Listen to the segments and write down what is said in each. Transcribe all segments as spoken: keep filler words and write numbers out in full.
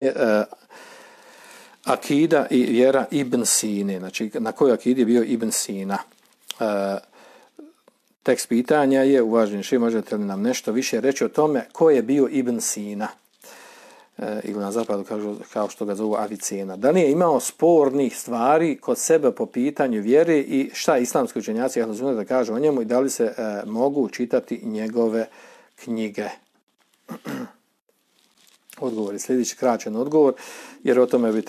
uh, akida i vjera Ibn Sine, znači na kojoj akidi je bio Ibn Sina. Uh, tekst pitanja je, uvaženi šejh, možete li nam nešto više reći o tome ko je bio Ibn Sina? Uh, ili na zapadu kažu, kao što ga zovu Avicena. Da li je imao spornih stvari kod sebe po pitanju vjere i šta islamski učenjaci da kažu o njemu i da li se uh, mogu čitati njegove knjige? Odgovor je sljedeći, kraćen odgovor, jer o tome bi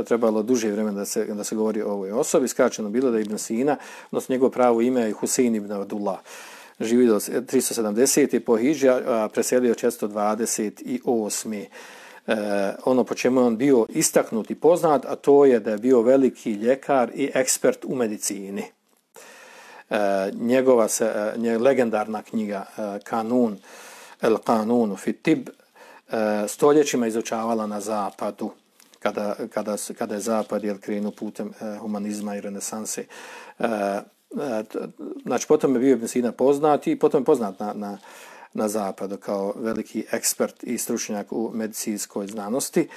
trebalo duže vremena da se, da se govori o ovoj osobi. Skraćeno bilo da je Ibn Sina, odnosno njegovo pravo ime je Husein ibn Abdullah. Živi do tristo sedamdesete po hidži, a preselio četiristo dvadeset osme E, ono po čemu je on bio istaknut i poznat, a to je da je bio veliki ljekar i ekspert u medicini. E, njegova se, nje, legendarna knjiga e, Kanun, El Kanunu fi Tib, stoljećima izučavala na zapadu, kada, kada, kada je zapad jel, krenuo putem eh, humanizma i renesanse. Eh, znači, potom je bio Ibn Sina poznat i potom je poznat na, na, na zapadu kao veliki ekspert i stručnjak u medicinskoj znanosti,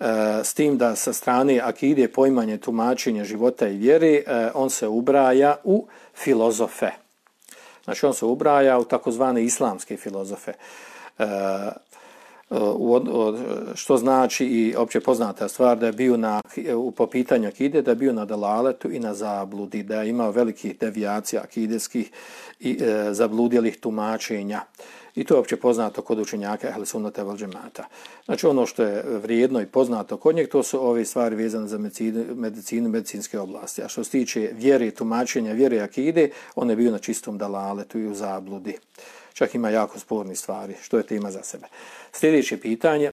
eh, s tim da sa strane akide, poimanje, tumačenja života i vjeri, eh, on se ubraja u filozofe. Znači, on se ubraja u takozvane islamske filozofe. Eh, što znači i opće poznata stvar da je bio na, po pitanju akide, da je bio na dalaletu i na zabludi, da je imao velikih devijacija akideskih i e, zabludjelih tumačenja. I to je opće poznato kod učenjaka Ehl Sunnata vel Džemata. Znači ono što je vrijedno i poznato kod njeg, to su ove stvari vezane za medicinu, medicinu medicinske oblasti. A što se tiče vjere, tumačenja vjere akide, on je bio na čistom dalaletu i u zabludi. Čak ima jako sporni stvari, što je tema za sebe. Sljedeće pitanje,